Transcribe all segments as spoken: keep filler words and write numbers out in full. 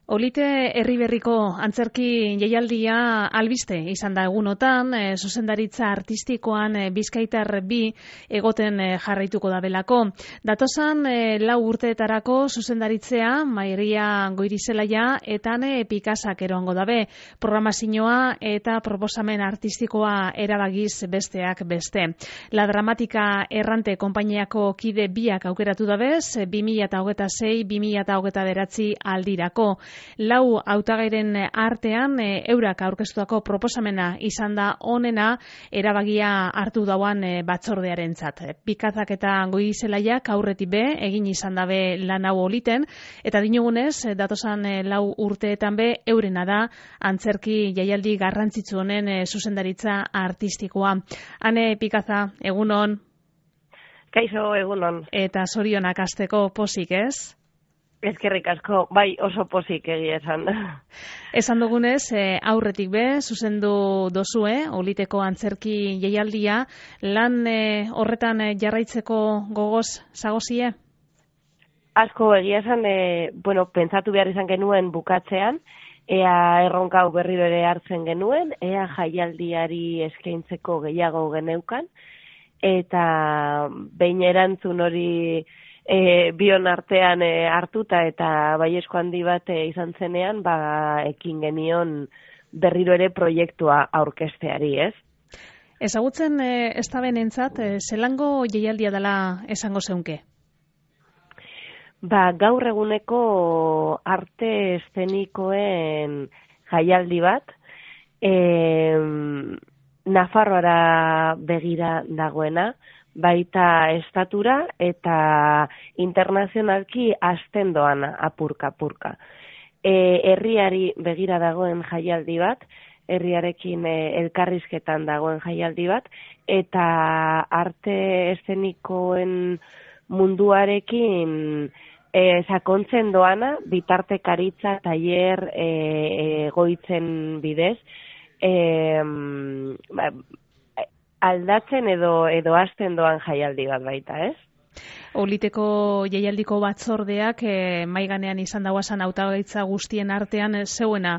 Olite Herriberriko antzerki jaialdia albiste izan da egunotan, e, zuzendaritza artistikoan e, Bizkaitar bi egoten e, jarraituko da belako. Datosan e, lau urteetarako zuzendaritzea Mairia Goirizelaia eta ne Pikasak eroango dabe. Programazioa eta proposamen artistikoa erabagiz besteak beste. La Dramatika Errante konpainiako kide biak aukeratu dabez, bi mila hogeita sei bi mila hogeita bederatzi aldirako. Lau hautagairen artean e, eurak aurkeztutako proposamena izan da onena erabagia hartu dauan e, batzordearentzat. Pikazak eta Goizelaiak aurretik be egin izan dabe lan hau oliten eta dinogunez datosan e, lau urteetan be eurena da antzerki jaialdi garrantzitsu honen e, zuzendaritza artistikoa. Ane Pikaza, egunon. Kaixo, egunon. Eta zorionak hasteko pozik, ez? Ezkerrik asko, bai oso pozik egia esan. Esan dugunez, e, aurretik be, zuzendu dozue, oliteko antzerki jaialdia, lan e, horretan e, jarraitzeko gogoz zagozie? Asko egia esan, e, bueno, pentsatu behar izan genuen bukatzean, ea erronka hau berriro ere hartzen genuen, ea jaialdiari eskaintzeko gehiago geneukan, eta behin erantzun hori E, bion artean e, hartuta eta baiesko handi bat e, izan zenean, ba, ekin genion berriro ere proiektua aurkesteari, ez? Ezagutzen e, ez da benentzat, e, zelango jaialdia dela esango zeunke? Ba, gaur eguneko arte eszenikoen jaialdi bat, e, Nafarroara begira dagoena, baita estatura eta internazionalki hasten doan apurka-apurka. E, herriari begira dagoen jaialdi bat, herriarekin e, elkarrizketan dagoen jaialdi bat, eta arte eszenikoen munduarekin e, sakontzen doana, bitartekaritza, tailer e, egoitzen bidez, e, ba, aldatzen edo edo hasten doan jaialdi bat baita, ez? Oliteko jaialdiko batzordeak e, maiganean izan dauazan hautagaitza guztien artean e, zeuena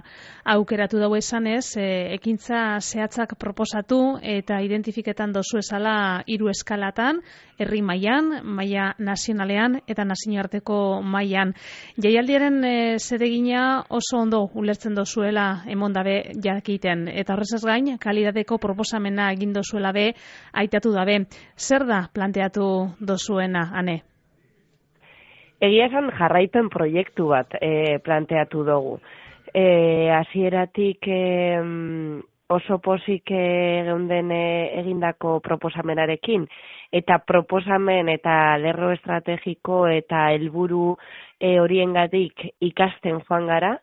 aukeratu dago esanez, e, ekintza zehatzak proposatu eta identifiketan dozu esala hiru eskalatan, herri mailan, maila nazionalean eta nazioarteko mailan. Jaialdiaren e, zeregina oso ondo ulertzen dozuela emon dabe jakiten eta horrezaz gain kalidadeko proposamena egin dozuela be aitatu dabe. Zer da planteatu dozuena, Ane? Egia esan jarraipen proiektu bat e, planteatu dugu. E, hasieratik e, oso pozik e, geunden e, egindako proposamenarekin, eta proposamen eta lerro estrategiko eta helburu e, horiengatik ikasten joan gara,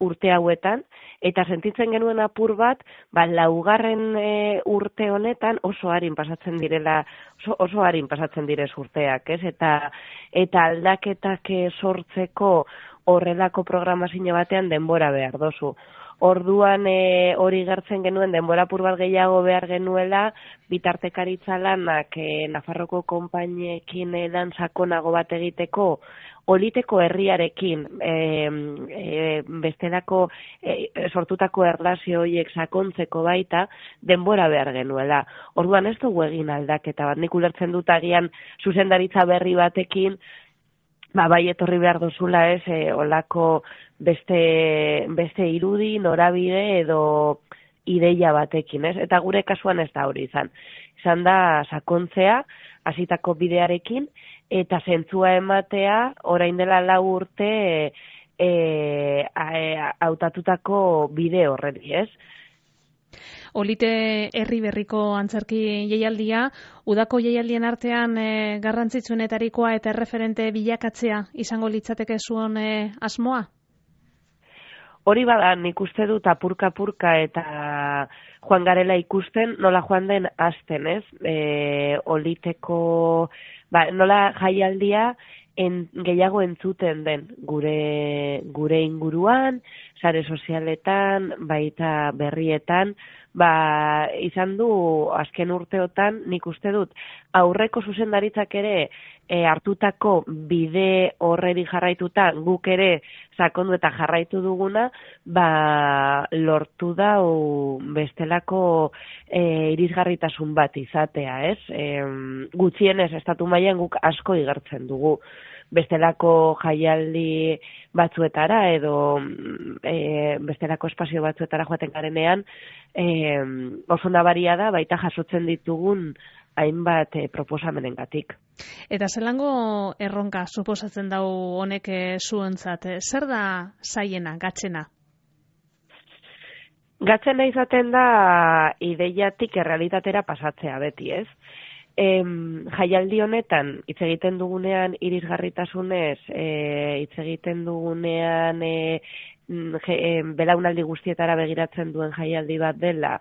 urte hauetan, eta sentitzen genuen apur bat, ba, laugarren e, urte honetan oso harin pasatzen direla, oso, oso harin pasatzen direz urteak, ez? Eta, eta aldaketak sortzeko horrelako programazio batean denbora behar dozu. Orduan e, hori gertzen genuen denbora apur bat gehiago behar genuela, bitartekaritza lanak e, Nafarroko konpainiekin e, lan sakonago bat egiteko, oliteko herriarekin e, e, bestelako e, sortutako erlazio horiek sakontzeko baita denbora behar genuela. Orduan ez dugu egin aldaketa bat, nik ulertzen dut agian zuzendaritza berri batekin, ba, bai etorri behar duzula ez, e, olako beste, beste irudi, norabide edo ideia batekin, ez? Eta gure kasuan ez da hori izan. Izan da sakontzea, hasitako bidearekin, eta zentzua ematea, orain dela lau urte e, hautatutako bide horreri, ez? Olite Herriberriko antzerki jaialdia, udako jaialdien artean e, garrantzitsuenetarikoa eta erreferente bilakatzea izango litzateke zuen e, asmoa? Hori bada, nik uste dut apurka-apurka eta joan garela ikusten nola joan den hasten, ez? E, oliteko, ba, nola jaialdia en, gehiago entzuten den gure, gure inguruan, sare sozialetan, baita berrietan, ba, izan du azken urteotan, nik uste dut, aurreko zuzendaritzak ere e, hartutako bide horreri jarraituta, guk ere sakondu eta jarraitu duguna, ba, lortu da o, bestelako e, irisgarritasun bat izatea, ez? E, gutxienez, estatu mailan guk asko igertzen dugu. Bestelako jaialdi batzuetara edo e, bestelako espazio batzuetara joaten garenean e, oso nabaria da baita jasotzen ditugun hainbat e, proposamenengatik. Eta zelango erronka suposatzen dau honek e, zuentzat? Zer da zaiena, gatzena? Gatzena izaten da ideiatik errealitatera pasatzea beti, ez? Em, jaialdi honetan hitz egiten dugunean irisgarritasunez, e, hitz egiten dugunean e, je, e, belaunaldi guztietara begiratzen duen jaialdi bat dela,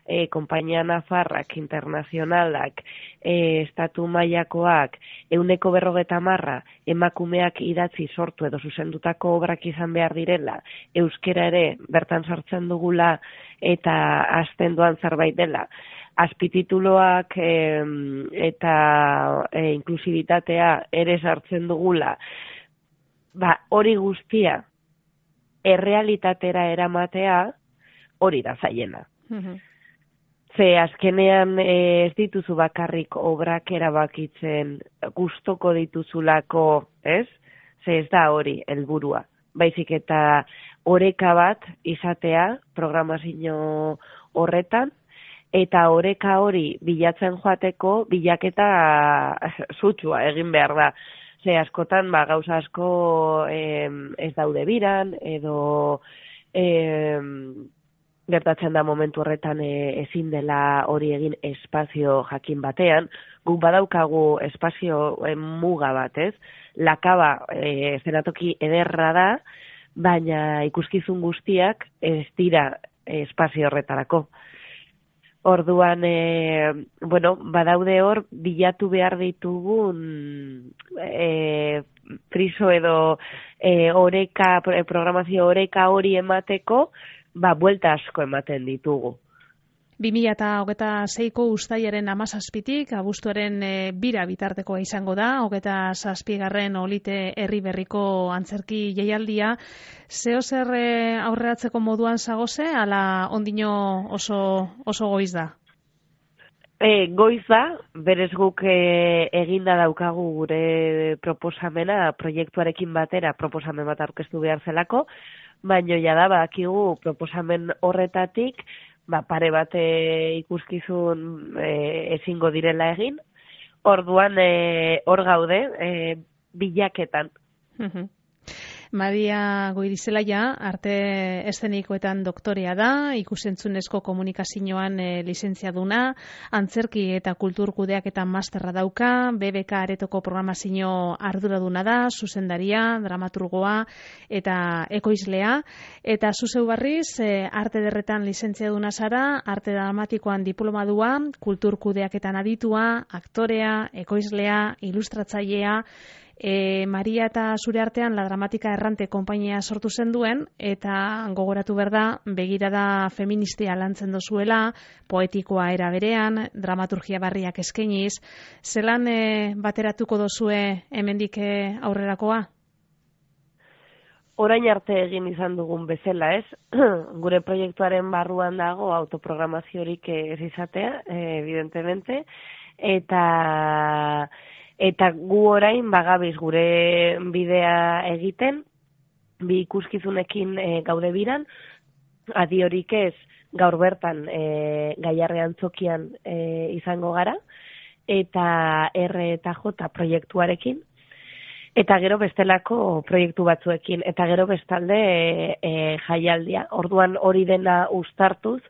e, konpainia nafarrak, internazionalak, e, estatu mailakoak, ehuneko berrogeta marra emakumeak idatzi sortu edo zuzendutako obrak izan behar direla, euskera ere bertan sartzen dugula eta hasten doan zerbait dela. Azpitituloak e, eta e, inklusibitatea ere sartzen dugula, ba, hori guztia errealitatera eramatea hori da zaiena. Mm-hmm. Ze azkenean e, ez dituzu bakarrik obrak erabakitzen gustoko dituzulako, ez? Ze ez da hori helburua. Baizik eta oreka bat izatea programazio horretan, eta oreka hori bilatzen joateko bilaketa sutsua egin behar da. Ze askotan ba, gauza asko eh, ez daude biran, edo eh, gertatzen da momentu horretan eh, ezin dela hori egin espazio jakin batean. Guk badaukagu espazio eh, muga bat, ez? Lakaba eh, zenatoki ederra da, baina ikuskizun guztiak ez dira eh, espazio horretarako. Orduan, e, bueno, badaude hor, bilatu behar ditugun e, friso edo e, oreka, programazio oreka hori emateko, ba, buelta asko ematen ditugu. bi mila hogeita seiko uztailaren hamazazpitik, abuztuaren e, bira bitartekoa izango da, hogeita zazpigarren olite herri berriko antzerki jaialdia. Zeo zer e, aurreratzeko moduan zagoze, ala ondino oso, oso goiz da? E, goiz da, berez guk e, eginda daukagu gure proposamena, proiektuarekin batera proposamen bat aurkeztu behar zelako, baino jada bakigu proposamen horretatik, ba, pare bat e, ikuskizun e, ezingo direla egin, orduan e, hor gaude e, bilaketan. Uh-huh. Maria Goirizelaia, arte eszenikoetan doktorea da, ikusentzunezko komunikazioan e, lizentziaduna, antzerki eta kultur kudeaketa masterra dauka, B B K aretoko programazio arduraduna da, zuzendaria, dramaturgoa eta ekoizlea, eta zuzeu barriz, e, arte derretan lizentziaduna zara, arte dramatikoan diplomadua, kultur kudeaketan aditua, aktorea, ekoizlea, ilustratzailea. E, Maria eta zure artean La Dramatika Errante konpainia sortu zen duen, eta gogoratu behar da, begirada feministia lantzen dozuela, poetikoa era berean, dramaturgia barriak eskainiz. Zelan e, bateratuko dozue hemendik e, aurrerakoa? Orain arte egin izan dugun bezala, ez? Gure proiektuaren barruan dago autoprogramaziorik ez izatea, evidentemente, eta... Eta gu orain bagabiz gure bidea egiten, bi ikuskizunekin e, gaude biran, adiorik ez gaur bertan e, Gaiarre Antzokian e, izango gara, eta R eta J proiektuarekin, eta gero bestelako proiektu batzuekin, eta gero bestalde e, e, jaialdia. Orduan hori dena uztartuz,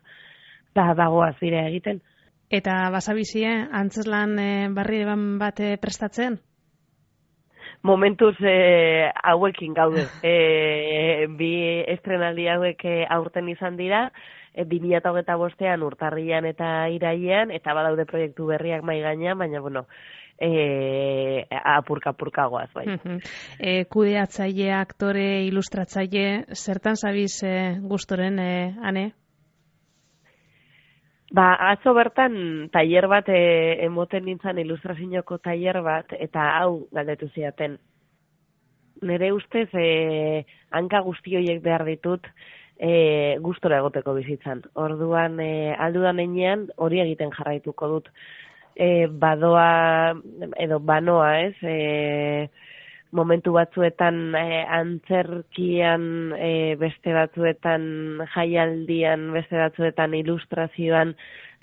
da dagoaz dire egiten. Eta basabizie, antzeslan e, barri bat e, prestatzen? Momentuz e, hauekin gaude. E, bi estrenaldi hauek e, aurten izan dira, e, bi mila hogeita bostean urtarrian eta irailean, eta badaude proiektu berriak mai gainean, baina bueno, e, apurka-apurka goaz, bai. e, kudeatzaile, aktore, ilustratzaile, zertan zabiz e, gustoren, e, ane? Ba, atzo bertan tailer bat e, emoten nintzen ilustrazioko tailer bat, eta hau galdetu ziaten. Nere ustez, e, hanka guzti horiek behar ditut, e, gustora egoteko bizitzan. Orduan, e, aldudan enean, hori egiten jarraituko dut. E, badoa, edo banoa, ez, e, momentu batzuetan e, antzerkian, e, beste batzuetan jaialdian, beste batzuetan ilustrazioan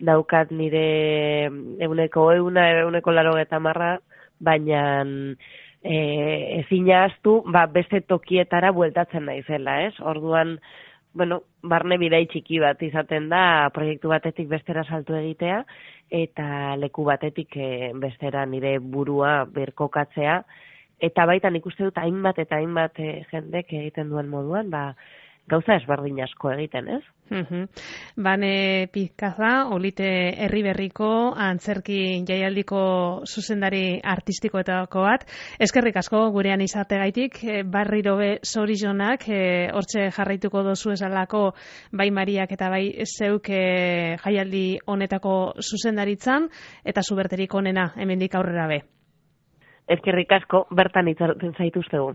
daukat nire euneko euna, euneko laro eta marra, baina e, ezin ahaztu, ba, beste tokietara bueltatzen naizela, ez? Orduan, bueno, barne bidai txiki bat izaten da, proiektu batetik bestera saltu egitea, eta leku batetik e, bestera nire burua berkokatzea, eta baita nik uste dut hainbat eta hainbat e, jendek egiten duen moduan, ba, gauza ezberdin asko egiten, ez? Uhum. Bane Pizkaza, Olite Herriberriko antzerki jaialdiko zuzendari artistikoetako bat. Eskerrik asko gurean izategaitik, barriro be zorizonak, e, hortxe jarraituko dozu esalako bai Mariak eta bai zeuk e, jaialdi honetako zuzendaritzan, eta zuberterik onena hemendik aurrera be. Eskerrik asko, bertan itzartzen zaituztegu.